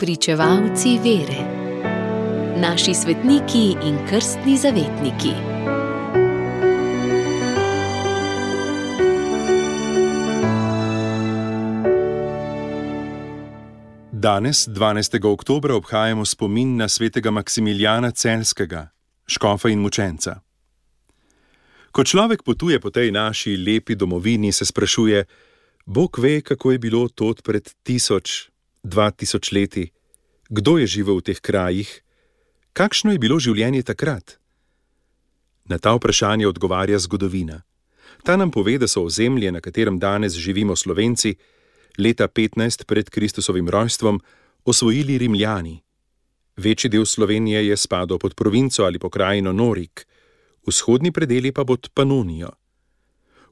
Pričevalci vere. Naši svetniki in krstni zavetniki. Danes, 12. oktobra, obhajamo spomin na svetega Maksimiljana Celjskega, škofa in mučenca. Ko človek potuje po tej naši lepi domovini, se sprašuje, Bog ve, kako je bilo tod pred 1000, 2000 leti, kdo je živel v teh krajih, kakšno je bilo življenje takrat? Na ta vprašanje odgovarja zgodovina. Ta nam pove, da so ozemlje, na katerem danes živimo Slovenci, leta 15 pred Kristusovim rojstvom osvojili Rimljani. Večji del Slovenije je spadal pod provinco ali pokrajino Norik, vzhodni predeli pa pod Panonijo.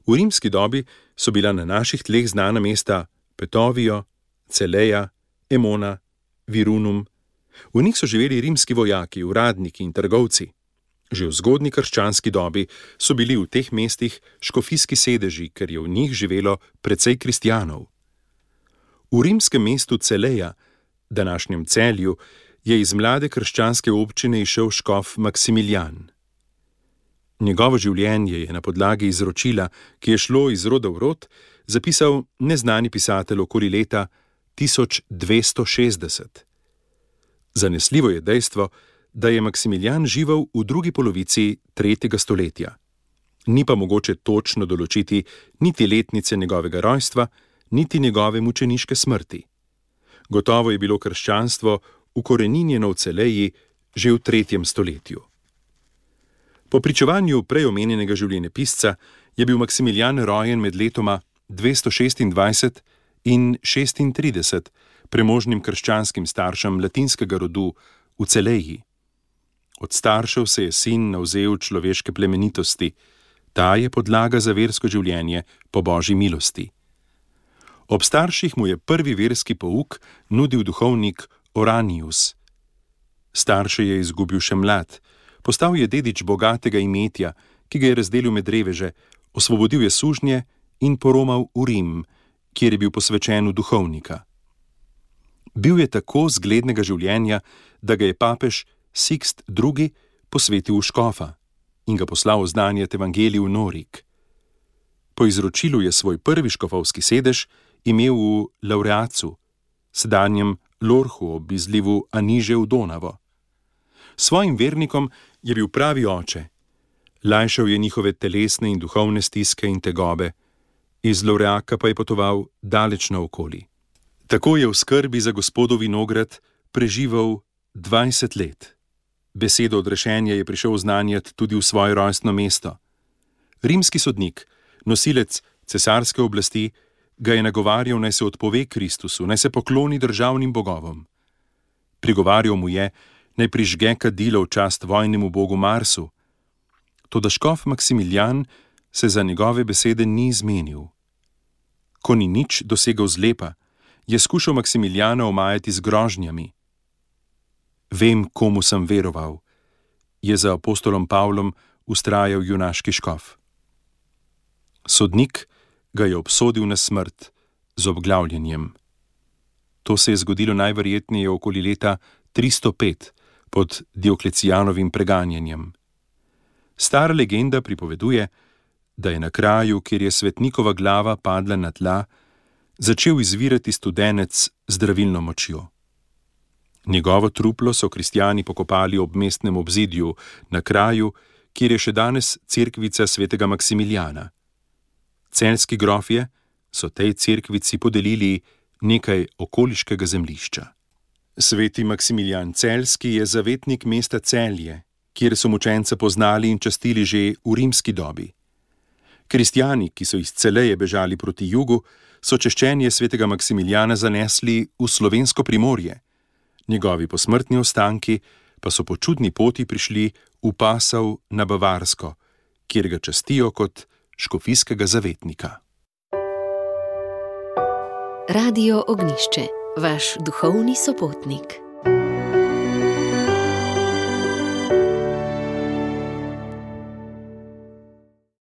V rimski dobi so bila na naših tleh znana mesta Petovijo, Celeja, Emona, Virunum. V njih so živeli rimski vojaki, uradniki in trgovci. Že v zgodnji krščanski dobi so bili v teh mestih škofijski sedeži, ker je v njih živelo precej kristjanov. V rimskem mestu Celeja, današnjem Celju, je iz mlade krščanske občine izšel škof Maksimiljan. Njegovo življenje je na podlagi izročila, ki je šlo iz roda v rod, zapisal neznani pisatelj okoli leta 1260. Zanesljivo je dejstvo, da je Maksimiljan živel v drugi polovici 3. stoletja. Ni pa mogoče točno določiti niti letnice njegovega rojstva, niti njegove mučeniške smrti. Gotovo je bilo krščanstvo ukoreninjeno v Celeji že v 3. stoletju. Po pričevanju prej omenjenega življenjepisca je bil Maksimiljan rojen med letoma 226 in 36 premožnim krščanskim staršem latinskega rodu v Celeji. Od staršev se je sin navzel človeške plemenitosti, ta je podlaga za versko življenje po Božji milosti. Ob starših mu je prvi verski pouk nudil duhovnik Oranius. Starše je izgubil še mlad, postal je dedič bogatega imetja, ki ga je razdelil med reveže, osvobodil je sužnje in poromal v Rim, kjer je bil posvečen v duhovnika. Bil je tako zglednega življenja, da ga je papež Sixt II. Posvetil v škofa in ga poslal oznanjati evangelij v Norik. Po izročilu je svoj prvi škofovski sedež imel v Laureacu, sedanjem Lorhu ob izlivu Aniže v Donavo. Svojim vernikom je bil pravi oče. Lajšal je njihove telesne in duhovne stiske in tegobe. Iz Laureaka pa je potoval daleč naokoli. Tako je v skrbi za Gospodov vinograd preživel 20 let. Besedo odrešenja je prišel oznanjati tudi v svoje rojstno mesto. Rimski sodnik, nosilec cesarske oblasti, ga je nagovarjal, naj se odpove Kristusu, naj se pokloni državnim bogovom. Prigovarjal mu je, naj prižge kadilo v čast vojnemu bogu Marsu. Toda škof Maksimiljan se za njegove besede ni izmenil. Ko ni nič dosegel zlepa, je skušal Maksimiljana omajati z grožnjami. Vem, komu sem veroval, je za apostolom Pavlom vztrajal junaški škof. Sodnik ga je obsodil na smrt z obglavljanjem. To se je zgodilo najverjetneje okoli leta 305 pod Dioklecijanovim preganjanjem. Stara legenda pripoveduje, da je na kraju, kjer je svetnikova glava padla na tla, začel izvirati studenec z zdravilno močjo. Njegovo truplo so kristjani pokopali ob mestnem obzidju, na kraju, kjer je še danes cerkvica svetega Maksimiljana. Celjski grofje so tej cerkvici podelili nekaj okoliškega zemljišča. Sveti Maksimiljan Celjski je zavetnik mesta Celje, kjer so mučenca poznali in častili že v rimski dobi. Kristjani, ki so iz Celeje bežali proti jugu, so češčenje svetega Maksimiljana zanesli v slovensko Primorje. Njegovi posmrtni ostanki pa so po čudni poti prišli v Pasov na Bavarsko, kjer ga častijo kot škofijskega zavetnika. Radio Ognjišče, vaš duhovni sopotnik.